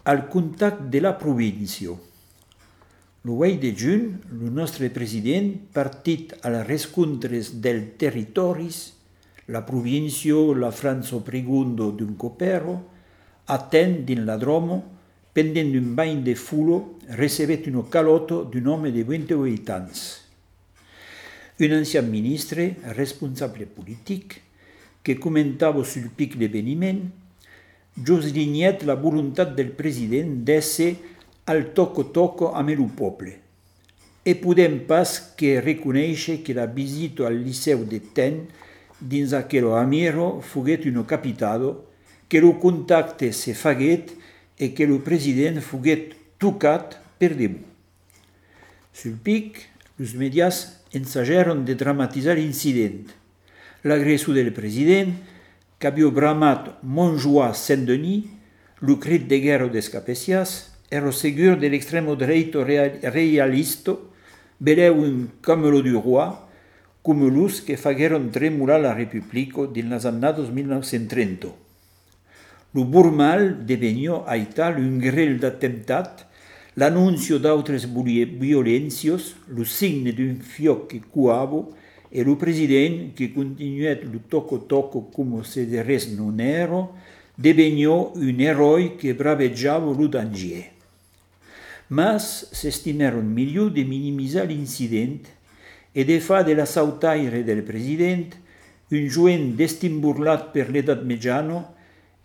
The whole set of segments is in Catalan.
al contact de la província. El 8 de juny, el nostre president partit a les rescontres dels territoris, la província, la França pregundo d'un copero, attén din la Dromo, pendent d'un bagn de fulo, recebet un calotto d'un home de 28 anys. Un ancien ministre, responsable politic, que comentava sul pic l'eveniment, joslignet la voluntat del president d'ésser al toco-toco amb el poble. E podem pas que reconèixer que la visita al liceu de Ten dins aquell amiro foguet un capitado, que el contacte se faguet e que el president foguet tocat per debut. Sul pic, els medias ensajaron de dramatizar l'incident. L'agressió del president, que havia bramat Montjoie Saint-Denis, el crit de guerra des Capesias, ero segur de l'extremo dreito realista, beleu un camelo du roi, com los que fagueron tremolar la Repubblica dins les annados 1930. Lo burmal devenió a tal un grell d'atemptat, l'annuncio d'autres violències, lo signe d'un fioc que cuava, e lo president, que continuèt lo toco-toco com se de res non era, devenió un eroi que bravejava lo danger. Mas s'estimaron millor de minimizar l'incident e de fa de l'assautaire del president un joent destimburlat per l'edat mitjana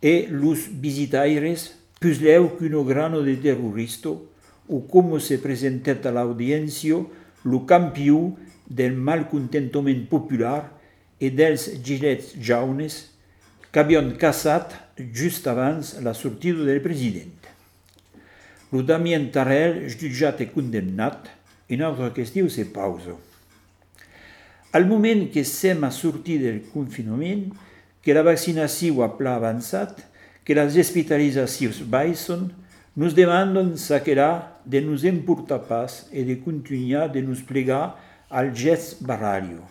e los visitaires plus leu qu'un grano de terrorista o com se presentet a l'audiència lo campió del malcontentament popular e dels gilets jaunes qu'havion caçat just abans la sortida del president. Lo Damien Tarel, jutjat e condemnat, una altra qüestió se pausa. Al moment que sem a sortir del confinament, que la vaccinació ha pla avançat, que les hospitalitzacions baixen, nos demandon s'aquerà de nos emportar pas e de continuar de nos plegar al gest barrario.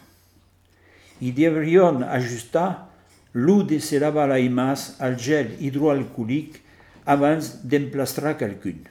I deverion ajustar l'ú de se lavar les mans al gel hidroalcohòlic abans d'emplastrar quelqu'un.